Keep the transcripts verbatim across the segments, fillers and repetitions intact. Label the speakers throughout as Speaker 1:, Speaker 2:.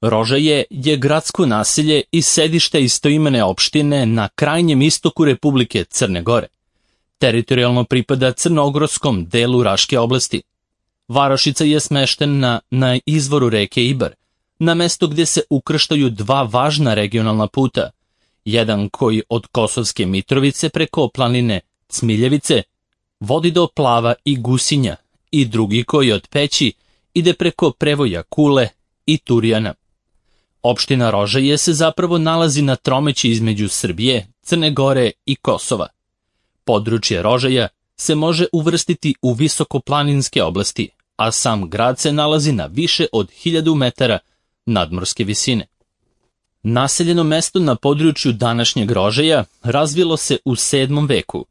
Speaker 1: Rožaje je gradsko naselje i sedište istoimene opštine na krajnjem istoku Republike Crne Gore. Teritorijalno pripada crnogorskom delu Raške oblasti. Varošica je smeštena na izvoru reke Ibar, na mesto gdje se ukrštaju dva važna regionalna puta, jedan koji od Kosovske Mitrovice preko planine Cmiljevice vodi do Plava i Gusinja i drugi koji od Peći ide preko prevoja Kule i Turijana. Opština Rožaje se zapravo nalazi na tromeći između Srbije, Crne Gore i Kosova. Područje Rožaja se može uvrstiti u visokoplaninske oblasti, a sam grad se nalazi na više od hiljadu metara nadmorske visine. Naseljeno mesto na području današnjeg Rožaja razvilo se u sedmom veku.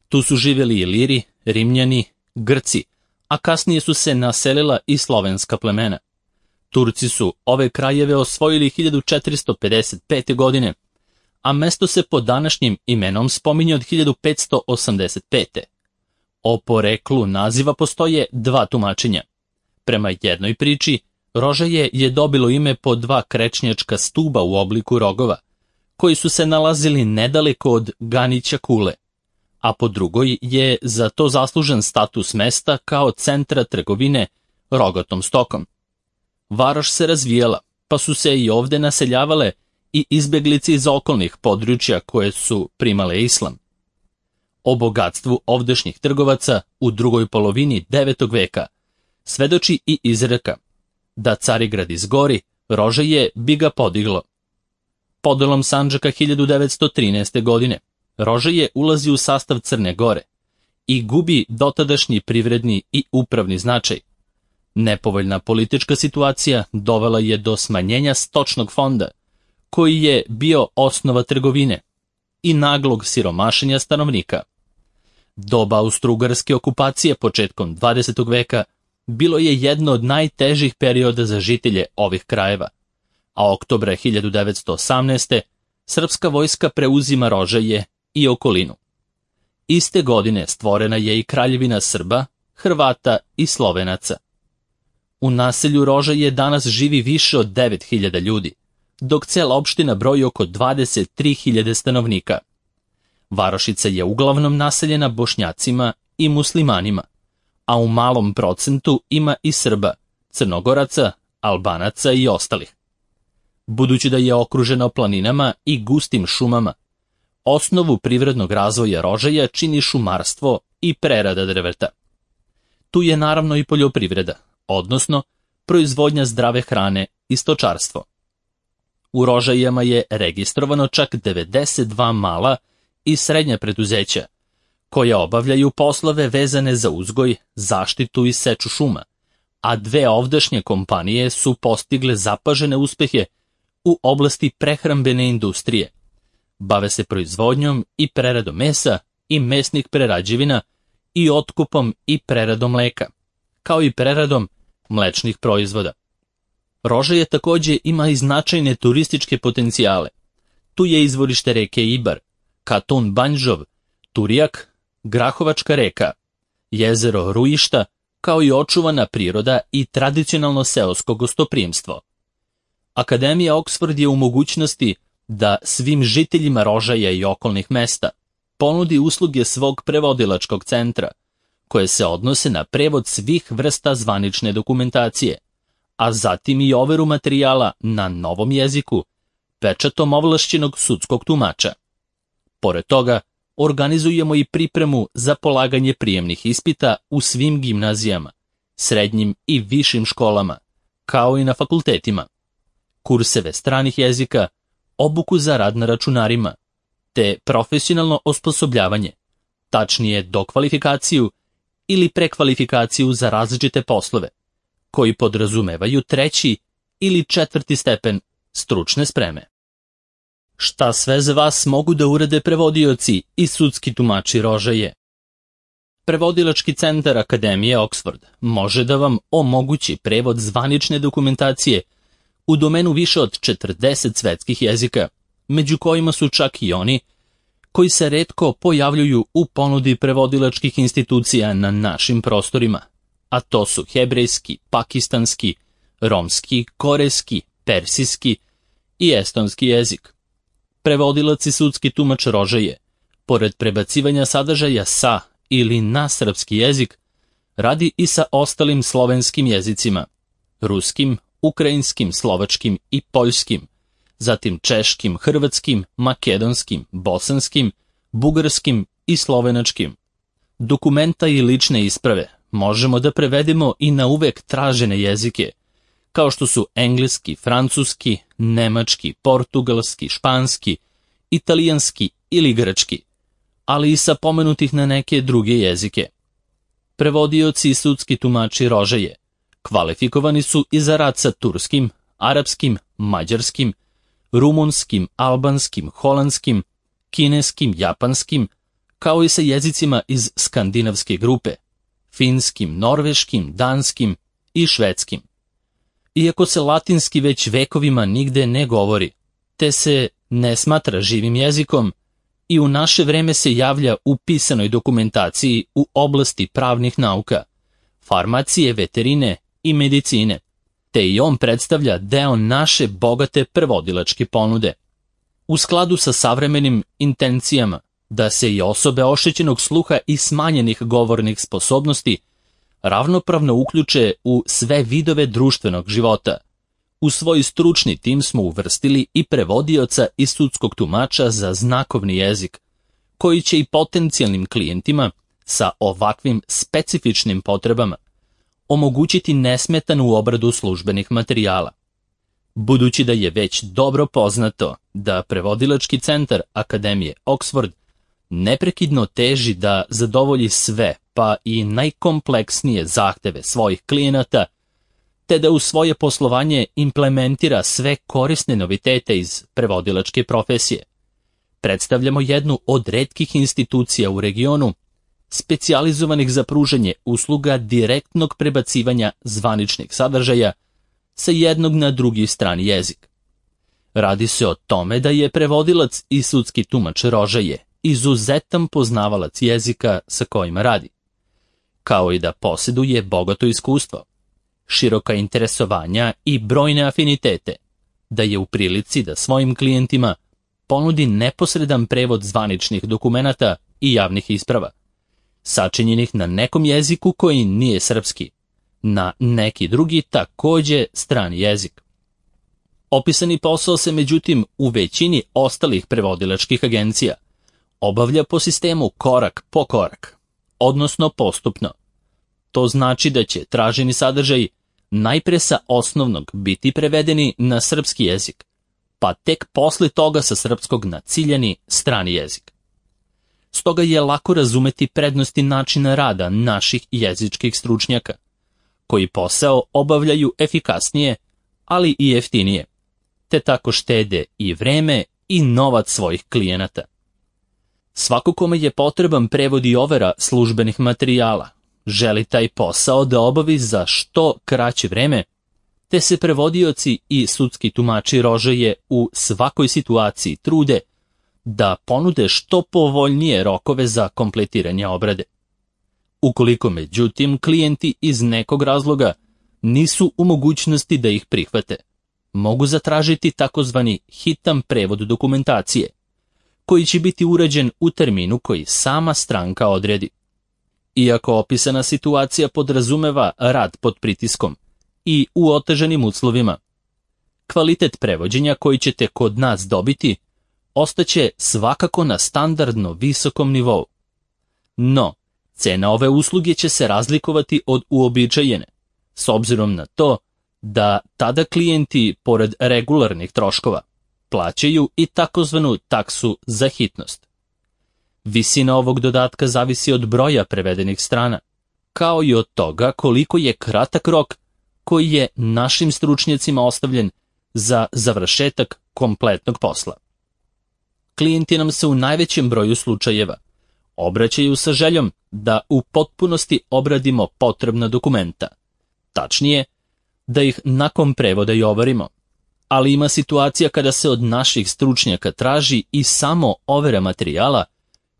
Speaker 1: Tu su živjeli Iliri, Rimljani, Grci, a kasnije su se naselila i slovenska plemena. Turci su ove krajeve osvojili hiljadu četiristo pedeset pete. godine, a mesto se pod današnjim imenom spominje od hiljadu petsto osamdeset pete. O poreklu naziva postoje dva tumačenja. Prema jednoj priči, Rožaje je dobilo ime po dva krečnjačka stuba u obliku rogova, koji su se nalazili nedaleko od Ganića Kule, a po drugoj je za to zaslužen status mesta kao centra trgovine rogatom stokom. Varoš se razvijala, pa su se i ovde naseljavale i izbeglice iz okolnih područja koje su primale islam. O bogatstvu ovdašnjih trgovaca u drugoj polovini devetog veka svedoči i izreka da Carigrad izgori, Rožaje bi ga podiglo. Podelom Sandžaka hiljadu devetsto trinaeste. godine Rožaje ulazi u sastav Crne Gore i gubi dotadašnji privredni i upravni značaj. Nepovoljna politička situacija dovela je do smanjenja stočnog fonda, koji je bio osnova trgovine, i naglog siromašenja stanovnika. Doba austrougarske okupacije početkom dvadesetog veka bilo je jedno od najtežih perioda za žitelje ovih krajeva, a oktobra hiljadu devetsto osamnaeste. srpska vojska preuzima Rožaje i okolinu. Iste godine stvorena je i kraljevina Srba, Hrvata i Slovenaca. U naselju Rožaje danas živi više od devet hiljada ljudi, dok cela opština broji oko dvadeset tri hiljade stanovnika. Varošica je uglavnom naseljena Bošnjacima i muslimanima, a u malom procentu ima i Srba, Crnogoraca, Albanaca i ostalih. Budući da je okružena planinama i gustim šumama, osnovu privrednog razvoja Rožaja čini šumarstvo i prerada drveta. Tu je naravno i poljoprivreda, odnosno proizvodnja zdrave hrane i stočarstvo. U Rožajama je registrovano čak devedeset dva mala i srednja preduzeća, koja obavljaju poslove vezane za uzgoj, zaštitu i seču šuma, a dve ovdašnje kompanije su postigle zapažene uspehe u oblasti prehrambene industrije. Bave se proizvodnjom i preradom mesa i mesnih prerađevina i otkupom i preradom mleka, kao i preradom mlečnih proizvoda. Rožaje također ima i značajne turističke potencijale. Tu je izvorište reke Ibar, Katun Banjžov, Turijak, Grahovačka reka, jezero Rujišta, kao i očuvana priroda i tradicionalno seosko gostoprimstvo. Akademija Oxford je u mogućnosti da svim žiteljima Rožaja i okolnih mesta ponudi usluge svog prevodilačkog centra, koje se odnose na prevod svih vrsta zvanične dokumentacije, a zatim i overu materijala na novom jeziku, pečatom ovlašćenog sudskog tumača. Pored toga, organizujemo i pripremu za polaganje prijemnih ispita u svim gimnazijama, srednjim i višim školama, kao i na fakultetima, kurseve stranih jezika, obuku za rad na računarima, te profesionalno osposobljavanje, tačnije dokvalifikaciju ili prekvalifikaciju za različite poslove, koji podrazumevaju treći ili četvrti stepen stručne spreme. Šta sve za vas mogu da urade prevodioci i sudski tumači Rožaje? Prevodilački centar Akademije Oxford može da vam omogući prevod zvanične dokumentacije u domenu više od četrdeset svetskih jezika, među kojima su čak i oni koji se retko pojavljuju u ponudi prevodilačkih institucija na našim prostorima, a to su hebrejski, pakistanski, romski, korejski, persijski i estonski jezik. Prevodilac i sudski tumač Rožaje, pored prebacivanja sadržaja sa ili na srpski jezik, radi i sa ostalim slovenskim jezicima, ruskim, ukrajinskim, slovačkim i poljskim, zatim češkim, hrvatskim, makedonskim, bosanskim, bugarskim i slovenačkim. Dokumenta i lične isprave možemo da prevedemo i na uvek tražene jezike, kao što su engleski, francuski, nemački, portugalski, španski, italijanski ili grčki, ali i sa pomenutih na neke druge jezike. Prevodioci i sudski tumači Rožaje kvalifikovani su i za rad sa turskim, arapskim, mađarskim, rumunskim, albanskim, holandskim, kineskim, japanskim, kao i sa jezicima iz skandinavske grupe, finskim, norveškim, danskim i švedskim. Iako se latinski već vekovima nigde ne govori, te se ne smatra živim jezikom, i u naše vreme se javlja u pisanoj dokumentaciji u oblasti pravnih nauka, farmacije, veterine i medicine, te i on predstavlja deo naše bogate prevodilačke ponude. U skladu sa savremenim intencijama da se i osobe oštećenog sluha i smanjenih govornih sposobnosti ravnopravno uključe u sve vidove društvenog života, u svoj stručni tim smo uvrstili i prevodioca i sudskog tumača za znakovni jezik, koji će i potencijalnim klijentima sa ovakvim specifičnim potrebama omogućiti nesmetanu obradu službenih materijala. Budući da je već dobro poznato da prevodilački centar Akademije Oxford neprekidno teži da zadovolji sve, pa i najkompleksnije zahteve svojih klijenata, te da u svoje poslovanje implementira sve korisne novitete iz prevodilačke profesije, predstavljamo jednu od retkih institucija u regionu specijalizovanih za pružanje usluga direktnog prebacivanja zvaničnih sadržaja sa jednog na drugi strani jezik. Radi se o tome da je prevodilac i sudski tumač Rožaje izuzetan poznavalac jezika sa kojima radi, kao i da posjeduje bogato iskustvo, široka interesovanja i brojne afinitete, da je u prilici da svojim klijentima ponudi neposredan prevod zvaničnih dokumenata i javnih isprava, sačinjenih na nekom jeziku koji nije srpski, na neki drugi takođe strani jezik. Opisani posao se međutim u većini ostalih prevodilačkih agencija obavlja po sistemu korak po korak, odnosno postupno. To znači da će traženi sadržaj najpre sa osnovnog biti prevedeni na srpski jezik, pa tek posle toga sa srpskog na ciljani strani jezik. Stoga je lako razumeti prednosti načina rada naših jezičkih stručnjaka, koji posao obavljaju efikasnije, ali i jeftinije, te tako štede i vreme i novac svojih klijenata. Svako kome je potreban prevod i overa službenih materijala želi taj posao da obavi za što kraće vreme, te se prevodioci i sudski tumači Rožaje u svakoj situaciji trude da ponude što povoljnije rokove za kompletiranje obrade. Ukoliko međutim klijenti iz nekog razloga nisu u mogućnosti da ih prihvate, mogu zatražiti takozvani hitan prevod dokumentacije, koji će biti urađen u terminu koji sama stranka odredi. Iako opisana situacija podrazumeva rad pod pritiskom i u otežanim uslovima, kvalitet prevođenja koji ćete kod nas dobiti ostaće svakako na standardno visokom nivou. No, cena ove usluge će se razlikovati od uobičajene, s obzirom na to da tada klijenti, pored regularnih troškova, plaćaju i takozvanu taksu za hitnost. Visina ovog dodatka zavisi od broja prevedenih strana, kao i od toga koliko je kratak rok koji je našim stručnjacima ostavljen za završetak kompletnog posla. Klijenti nam se u najvećem broju slučajeva obraćaju sa željom da u potpunosti obradimo potrebna dokumenta, tačnije, da ih nakon prevoda i overimo, ali ima situacija kada se od naših stručnjaka traži i samo overa materijala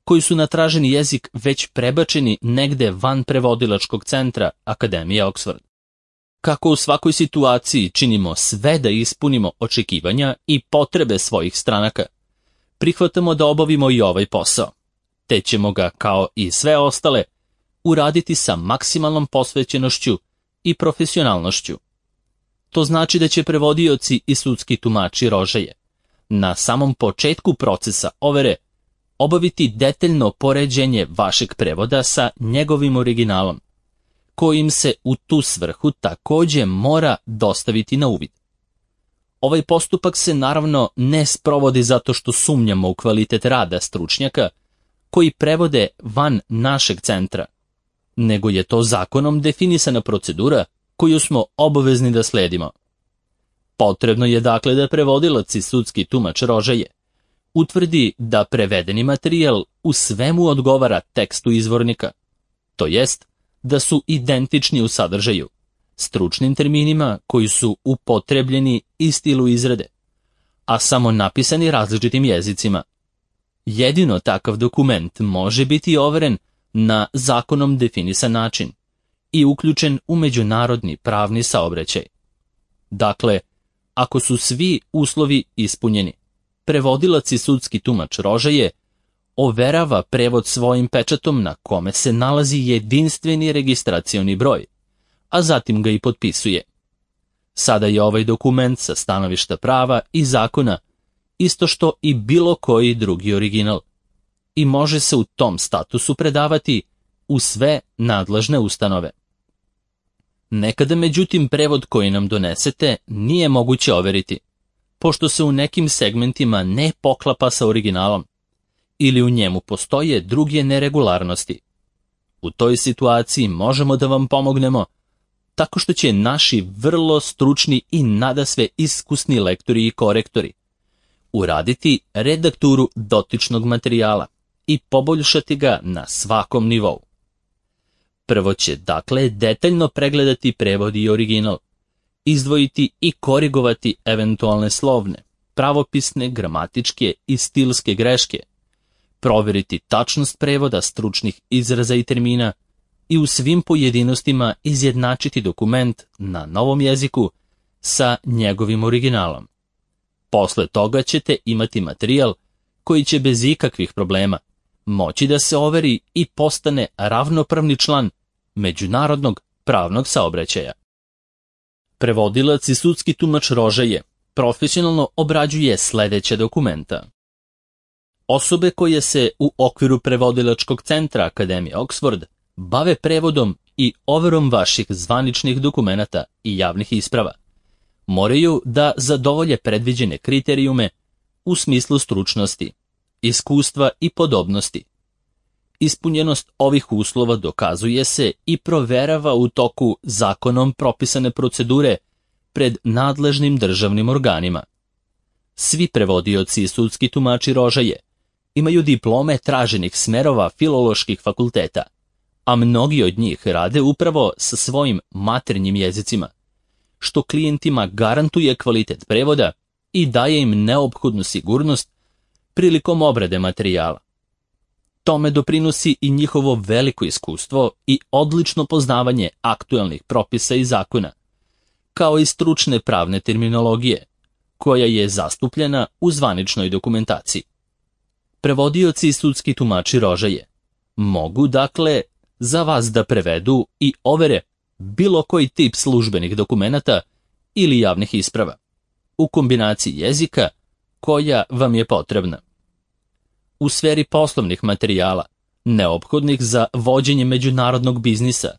Speaker 1: koji su na traženi jezik već prebačeni negde van prevodilačkog centra Akademije Oxford. Kako u svakoj situaciji činimo sve da ispunimo očekivanja i potrebe svojih stranaka, prihvatamo da obavimo i ovaj posao, te ćemo ga, kao i sve ostale, uraditi sa maksimalnom posvećenošću i profesionalnošću. To znači da će prevodioci i sudski tumači rožaje na samom početku procesa overe obaviti detaljno poređenje vašeg prevoda sa njegovim originalom, kojim se u tu svrhu takođe mora dostaviti na uvid. Ovaj postupak se naravno ne sprovodi zato što sumnjamo u kvalitet rada stručnjaka koji prevode van našeg centra, nego je to zakonom definisana procedura koju smo obavezni da sledimo. Potrebno je dakle da prevodilac i sudski tumač rožaje utvrdi da prevedeni materijal u svemu odgovara tekstu izvornika, to jest da su identični u sadržaju, stručnim terminima koji su upotrebljeni i stilu izrade, a samo napisani različitim jezicima. Jedino takav dokument može biti overen na zakonom definisan način i uključen u međunarodni pravni saobraćaj. Dakle, ako su svi uslovi ispunjeni, prevodilac i sudski tumač rožaje overava prevod svojim pečatom na kome se nalazi jedinstveni registracioni broj, a zatim ga i potpisuje. Sada je ovaj dokument sa stanovišta prava i zakona isto što i bilo koji drugi original i može se u tom statusu predavati u sve nadležne ustanove. Nekada, međutim, prevod koji nam donesete nije moguće overiti, pošto se u nekim segmentima ne poklapa sa originalom ili u njemu postoje druge neregularnosti. U toj situaciji možemo da vam pomognemo tako što će naši vrlo stručni i nadasve iskusni lektori i korektori uraditi redakturu dotičnog materijala i poboljšati ga na svakom nivou. Prvo će, dakle, detaljno pregledati prevod i original, izdvojiti i korigovati eventualne slovne, pravopisne, gramatičke i stilske greške, proveriti tačnost prevoda stručnih izraza i termina i u svim pojedinostima izjednačiti dokument na novom jeziku sa njegovim originalom. Posle toga ćete imati materijal koji će bez ikakvih problema moći da se overi i postane ravnopravni član međunarodnog pravnog saobraćaja. Prevodilac i sudski tumač rožaje profesionalno obrađuje sledeće dokumenta. Osobe koje se u okviru prevodilačkog centra Akademije Oxford bave prevodom i overom vaših zvaničnih dokumenata i javnih isprava moraju da zadovolje predviđene kriterijume u smislu stručnosti, iskustva i podobnosti. Ispunjenost ovih uslova dokazuje se i proverava u toku zakonom propisane procedure pred nadležnim državnim organima. Svi prevodioci i sudski tumači rožaje imaju diplome traženih smerova filoloških fakulteta, a mnogi od njih rade upravo sa svojim maternjim jezicima, što klijentima garantuje kvalitet prevoda i daje im neophodnu sigurnost prilikom obrade materijala. Tome doprinosi i njihovo veliko iskustvo i odlično poznavanje aktuelnih propisa i zakona, kao i stručne pravne terminologije, koja je zastupljena u zvaničnoj dokumentaciji. Prevodioci i sudski tumači rožaje mogu, dakle, za vas da prevedu i overe bilo koji tip službenih dokumenata ili javnih isprava, u kombinaciji jezika koja vam je potrebna. U sferi poslovnih materijala, neophodnih za vođenje međunarodnog biznisa,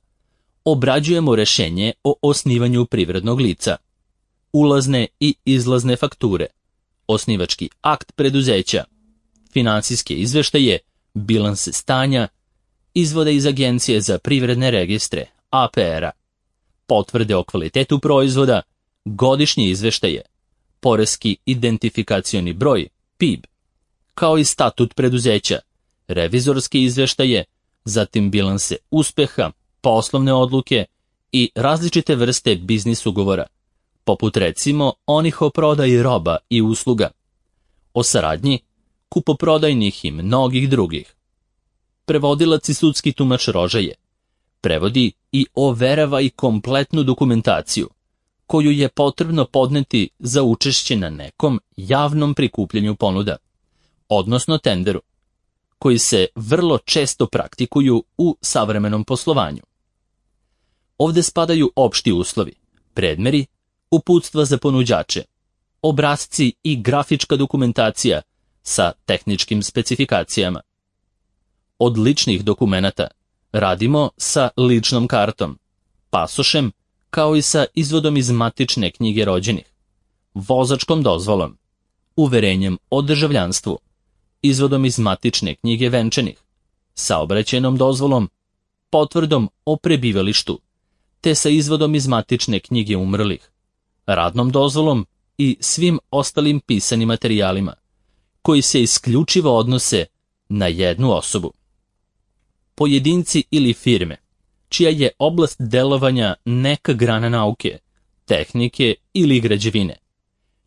Speaker 1: obrađujemo rešenje o osnivanju privrednog lica, ulazne i izlazne fakture, osnivački akt preduzeća, finansijske izveštaje, bilanse stanja, izvode iz Agencije za privredne registre, A P R-a, potvrde o kvalitetu proizvoda, godišnje izveštaje, poreski identifikacioni broj, P I B, kao i statut preduzeća, revizorske izveštaje, zatim bilanse uspeha, poslovne odluke i različite vrste biznis ugovora, poput recimo onih o prodaji roba i usluga, o saradnji, kupoprodajnih i mnogih drugih. Prevodilac i sudski tumač rožaje prevodi i overava i kompletnu dokumentaciju, koju je potrebno podneti za učešće na nekom javnom prikupljanju ponuda, odnosno tenderu, koji se vrlo često praktikuju u savremenom poslovanju. Ovde spadaju opšti uslovi, predmeri, uputstva za ponuđače, obrasci i grafička dokumentacija sa tehničkim specifikacijama. Od ličnih dokumenata radimo sa ličnom kartom, pasošem, kao i sa izvodom iz matične knjige rođenih, vozačkom dozvolom, uverenjem o državljanstvu, izvodom iz matične knjige venčanih, saobraćajnom dozvolom, potvrdom o prebivalištu, te sa izvodom iz matične knjige umrlih, radnom dozvolom i svim ostalim pisanim materijalima, koji se isključivo odnose na jednu osobu. Pojedinci ili firme, čija je oblast delovanja neka grana nauke, tehnike ili građevine,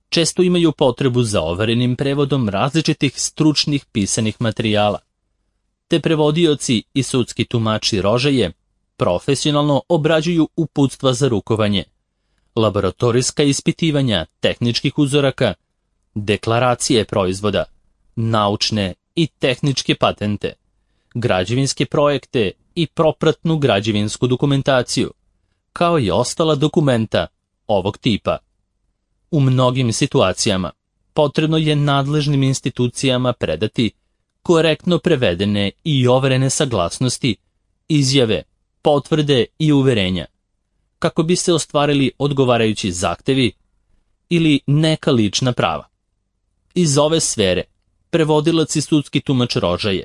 Speaker 1: često imaju potrebu za overenim prevodom različitih stručnih pisanih materijala, te prevodioci i sudski tumači rožaje profesionalno obrađuju uputstva za rukovanje, laboratorijska ispitivanja tehničkih uzoraka, deklaracije proizvoda, naučne i tehničke patente, građevinske projekte i propratnu građevinsku dokumentaciju, kao i ostala dokumenta ovog tipa. U mnogim situacijama potrebno je nadležnim institucijama predati korektno prevedene i overene saglasnosti, izjave, potvrde i uverenja, kako bi se ostvarili odgovarajući zahtevi ili neka lična prava. Iz ove sfere prevodilac i sudski tumač rožaje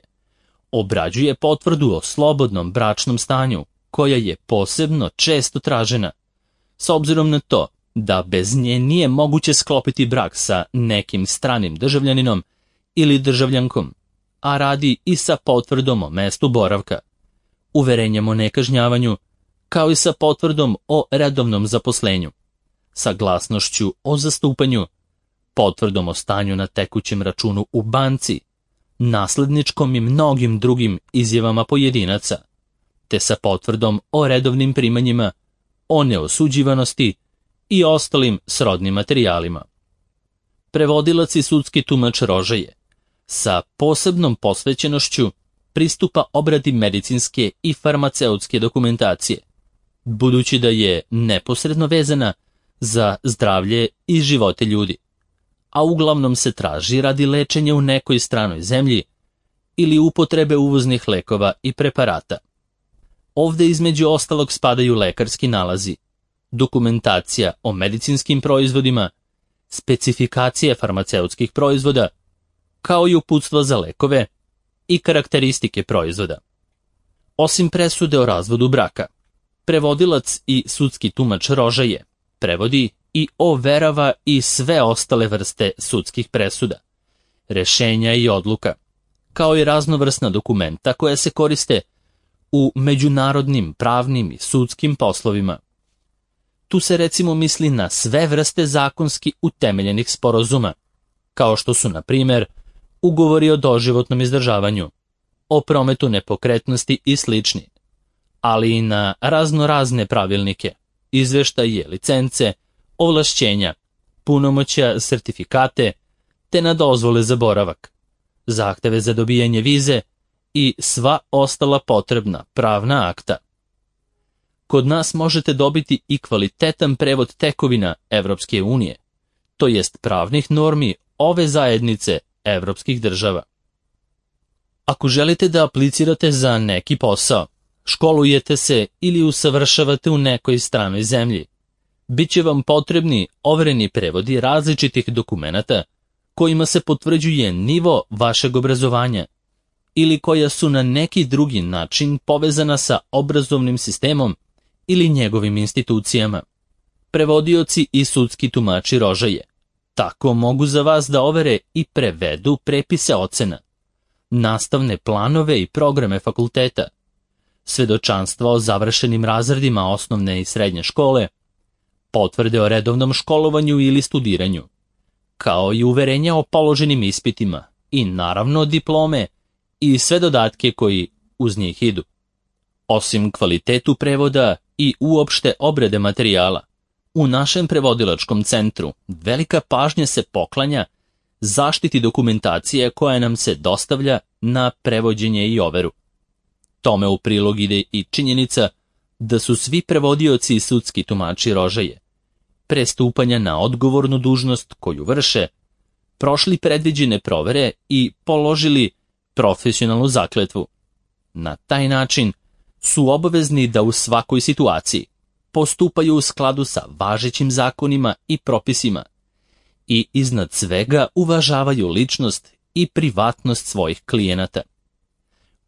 Speaker 1: obrađuje potvrdu o slobodnom bračnom stanju, koja je posebno često tražena, s obzirom na to da bez nje nije moguće sklopiti brak sa nekim stranim državljaninom ili državljankom, a radi i sa potvrdom o mestu boravka, uverenjem o nekažnjavanju, kao i sa potvrdom o redovnom zaposlenju, saglasnošću o zastupanju, potvrdom o stanju na tekućem računu u banci, nasledničkom i mnogim drugim izjavama pojedinaca, te sa potvrdom o redovnim primanjima, o neosuđivanosti i ostalim srodnim materijalima. Prevodilac i sudski tumač rožaje sa posebnom posvećenošću pristupa obradi medicinske i farmaceutske dokumentacije, budući da je neposredno vezana za zdravlje i živote ljudi, a uglavnom se traži radi lečenja u nekoj stranoj zemlji ili upotrebe uvoznih lekova i preparata. Ovde između ostalog spadaju lekarski nalazi, dokumentacija o medicinskim proizvodima, specifikacije farmaceutskih proizvoda, kao i uputstva za lekove i karakteristike proizvoda. Osim presude o razvodu braka, prevodilac i sudski tumač rožaje prevodi i overava i sve ostale vrste sudskih presuda, rešenja i odluka, kao i raznovrsna dokumenta koja se koriste u međunarodnim, pravnim i sudskim poslovima. Tu se recimo misli na sve vrste zakonski utemeljenih sporazuma, kao što su, na primjer, ugovori o doživotnom izdržavanju, o prometu nepokretnosti i slični, ali i na raznorazne pravilnike, izveštaje, licence, ovlašćenja, punomoćja, sertifikate, te na dozvole za boravak, zahteve za dobijanje vize i sva ostala potrebna pravna akta. Kod nas možete dobiti i kvalitetan prevod tekovina Evropske unije, to jest pravnih normi ove zajednice evropskih država. Ako želite da aplicirate za neki posao, školujete se ili usavršavate u nekoj stranoj zemlji, bit će vam potrebni overeni prevodi različitih dokumenata kojima se potvrđuje nivo vašeg obrazovanja ili koja su na neki drugi način povezana sa obrazovnim sistemom ili njegovim institucijama. Prevodioci i sudski tumači rožaje tako mogu za vas da overe i prevedu prepise ocena, nastavne planove i programe fakulteta, svedočanstva o završenim razredima osnovne i srednje škole, potvrde o redovnom školovanju ili studiranju, kao i uverenja o položenim ispitima i naravno diplome i sve dodatke koji uz njih idu. Osim kvalitetu prevoda i uopšte obrade materijala, u našem prevodilačkom centru velika pažnja se poklanja zaštiti dokumentacije koja nam se dostavlja na prevođenje i overu. Tome u prilog ide i činjenica da su svi prevodioci i sudski tumači rožaje, pre stupanja na odgovornu dužnost koju vrše, prošli predviđene provere i položili profesionalnu zakletvu. Na taj način su obavezni da u svakoj situaciji postupaju u skladu sa važećim zakonima i propisima i iznad svega uvažavaju ličnost i privatnost svojih klijenata.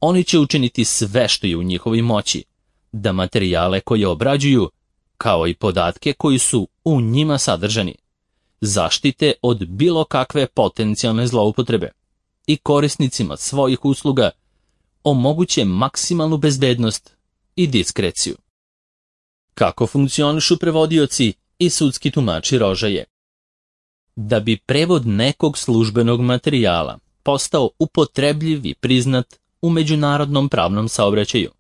Speaker 1: Oni će učiniti sve što je u njihovoj moći da materijale koje obrađuju, kao i podatke koji su u njima sadržani, zaštite od bilo kakve potencijalne zloupotrebe i korisnicima svojih usluga omoguće maksimalnu bezbednost i diskreciju. Kako funkcionišu prevodioci i sudski tumači rožaje? Da bi prevod nekog službenog materijala postao upotrebljiv i priznat u međunarodnom pravnom saobraćaju,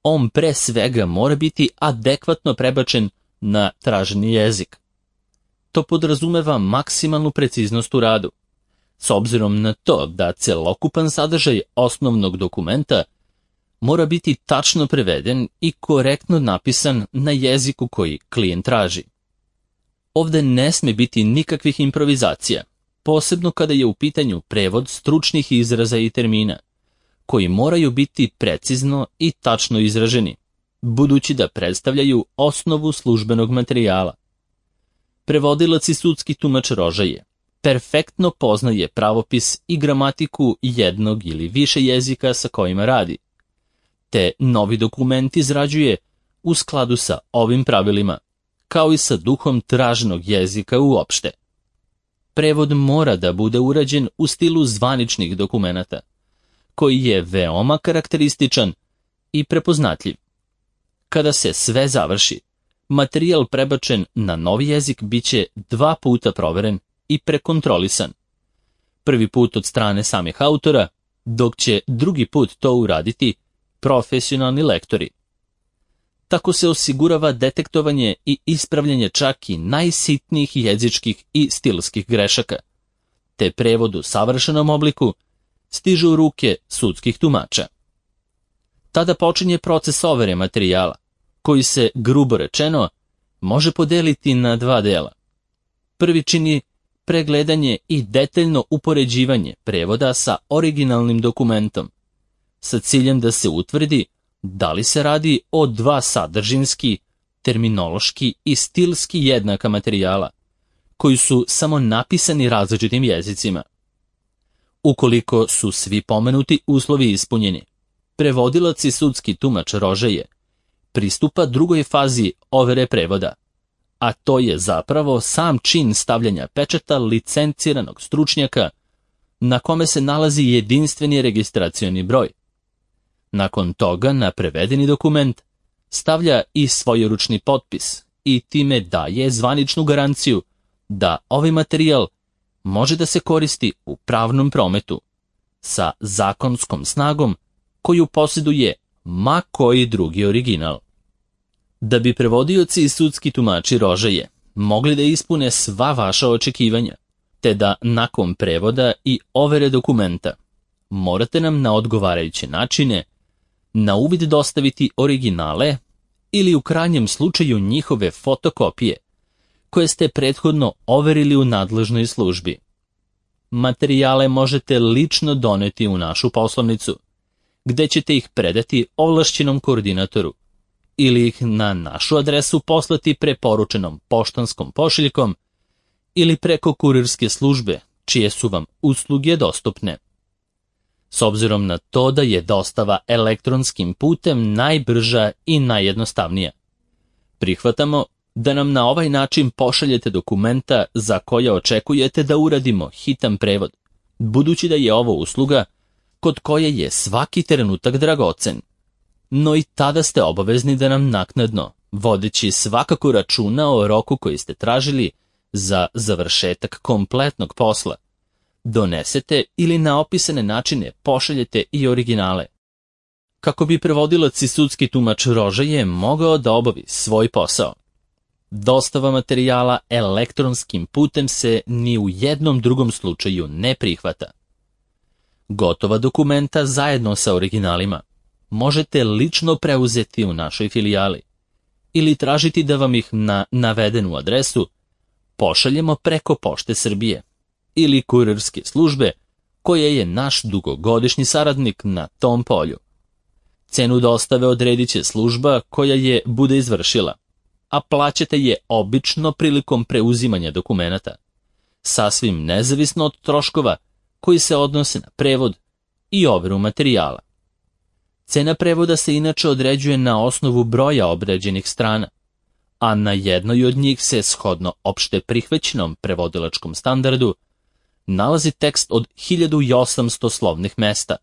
Speaker 1: on pre svega mora biti adekvatno prebačen na traženi jezik. To podrazumeva maksimalnu preciznost u radu, s obzirom na to da celokupan sadržaj osnovnog dokumenta mora biti tačno preveden i korektno napisan na jeziku koji klijent traži. Ovde ne sme biti nikakvih improvizacija, posebno kada je u pitanju prevod stručnih izraza i termina, koji moraju biti precizno i tačno izraženi, budući da predstavljaju osnovu službenog materijala. Prevodilac i sudski tumač rožaje perfektno poznaje pravopis i gramatiku jednog ili više jezika sa kojima radi, te novi dokument izrađuje u skladu sa ovim pravilima, kao i sa duhom traženog jezika uopšte. Prevod mora da bude urađen u stilu zvaničnih dokumenata, koji je veoma karakterističan i prepoznatljiv. Kada se sve završi, materijal prebačen na novi jezik biće dva puta proveren i prekontrolisan. Prvi put od strane samih autora, dok će drugi put to uraditi profesionalni lektori. Tako se osigurava detektovanje i ispravljanje čak i najsitnijih jezičkih i stilskih grešaka, te prevod u savršenom obliku stiže u ruke sudskih tumača. Tada počinje proces overe materijala, koji se, grubo rečeno, može podeliti na dva dela. Prvi čini pregledanje i detaljno upoređivanje prevoda sa originalnim dokumentom, sa ciljem da se utvrdi da li se radi o dva sadržinski, terminološki i stilski jednaka materijala, koji su samo napisani različitim jezicima. Ukoliko su svi pomenuti uslovi ispunjeni, prevodilac i sudski tumač rožaje pristupa drugoj fazi overe prevoda, a to je zapravo sam čin stavljanja pečata licenciranog stručnjaka na kome se nalazi jedinstveni registracioni broj. Nakon toga na prevedeni dokument stavlja i svojeručni potpis i time daje zvaničnu garanciju da ovaj materijal može da se koristi u pravnom prometu sa zakonskom snagom koju posjeduje ma koji drugi original. Da bi prevodioci i sudski tumači rožaje mogli da ispune sva vaša očekivanja, te da nakon prevoda i overe dokumenta morate nam na odgovarajuće načine na uvid dostaviti originale ili u krajnjem slučaju njihove fotokopije, koje ste prethodno overili u nadležnoj službi. Materijale možete lično doneti u našu poslovnicu, gde ćete ih predati ovlašćenom koordinatoru, ili ih na našu adresu poslati preporučenom poštanskom pošiljkom ili preko kurirske službe, čije su vam usluge dostupne. S obzirom na to da je dostava elektronskim putem najbrža i najjednostavnija, prihvatamo da nam na ovaj način pošaljete dokumenta za koja očekujete da uradimo hitan prevod, budući da je ovo usluga kod koje je svaki trenutak dragocen. No i tada ste obavezni da nam naknadno, vodeći svakako računa o roku koji ste tražili za završetak kompletnog posla, donesete ili na opisane načine pošaljete i originale. kako bi prevodilac i sudski tumač Rožaje mogao da obavi svoj posao. Dostava materijala elektronskim putem se ni u jednom drugom slučaju ne prihvata. Gotova dokumenta zajedno sa originalima možete lično preuzeti u našoj filijali ili tražiti da vam ih na navedenu adresu pošaljemo preko Pošte Srbije ili kurirske službe koja je naš dugogodišnji saradnik na tom polju. Cenu dostave odredit će služba koja je bude izvršila, a plaćate je obično prilikom preuzimanja dokumenata, sasvim nezavisno od troškova koji se odnose na prevod i overu materijala. Cena prevoda se inače određuje na osnovu broja obrađenih strana, a na jednoj od njih se, shodno opšte prihvaćenom prevodilačkom standardu, nalazi tekst od hiljadu osamsto slovnih mesta,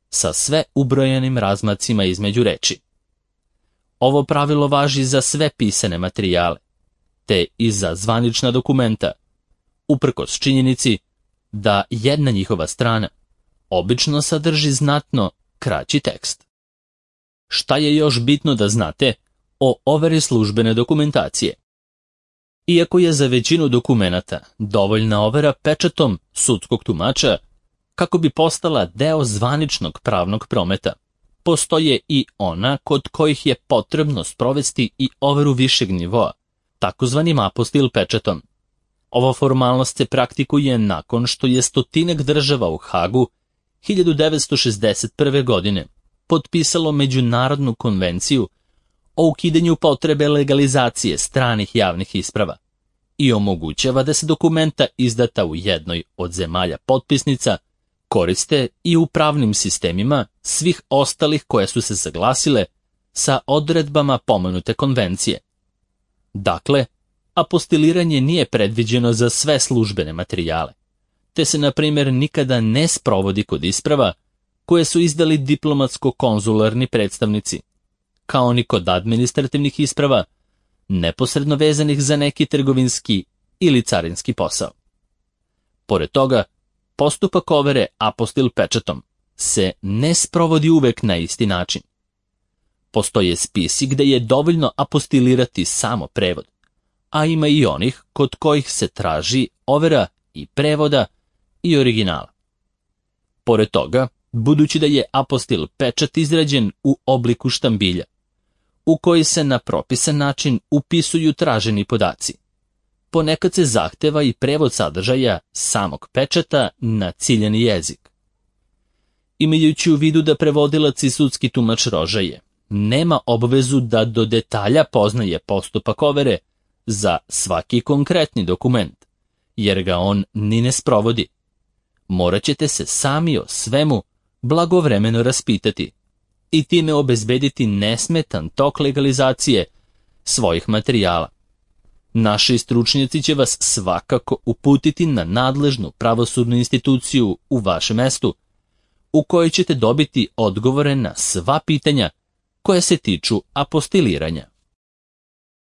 Speaker 1: sa sve ubrojenim razmacima između reči. Ovo pravilo važi za sve pisane materijale, te i za zvanična dokumenta, uprkos činjenici da jedna njihova strana obično sadrži znatno kraći tekst. Šta je još bitno da znate o overi službene dokumentacije? Iako je za većinu dokumenata dovoljna overa pečatom sudskog tumača kako bi postala deo zvaničnog pravnog prometa, postoje i ona kod kojih je potrebno sprovesti i overu višeg nivoa, takozvanim apostil pečatom. Ova formalnost se praktikuje nakon što je stotinak država u Hagu hiljadu devetsto šezdeset prve. godine potpisalo Međunarodnu konvenciju o ukidanju potrebe legalizacije stranih javnih isprava i omogućava da se dokumenta izdata u jednoj od zemalja potpisnica koriste i u pravnim sistemima svih ostalih koje su se saglasile sa odredbama pomenute konvencije. Dakle, apostiliranje nije predviđeno za sve službene materijale, te se, na primjer, nikada ne sprovodi kod isprava koje su izdali diplomatsko-konzularni predstavnici, kao ni kod administrativnih isprava, neposredno vezanih za neki trgovinski ili carinski posao. Pored toga, postupak overe apostil pečatom se ne sprovodi uvek na isti način. Postoje spisi gde je dovoljno apostilirati samo prevod, a ima i onih kod kojih se traži overa i prevoda i originala. Pored toga, budući da je apostil pečat izrađen u obliku štambilja, u koji se na propisan način upisuju traženi podaci, ponekad se zahteva i prevod sadržaja samog pečata na ciljani jezik. Imajući u vidu da prevodilac i sudski tumač Rožaje nema obavezu da do detalja poznaje postupak overe za svaki konkretni dokument, jer ga on ni ne sprovodi, morat ćete se sami o svemu blagovremeno raspitati i time obezbediti nesmetan tok legalizacije svojih materijala. Naši stručnjaci će vas svakako uputiti na nadležnu pravosudnu instituciju u vašem mestu, u kojoj ćete dobiti odgovore na sva pitanja koje se tiču apostiliranja.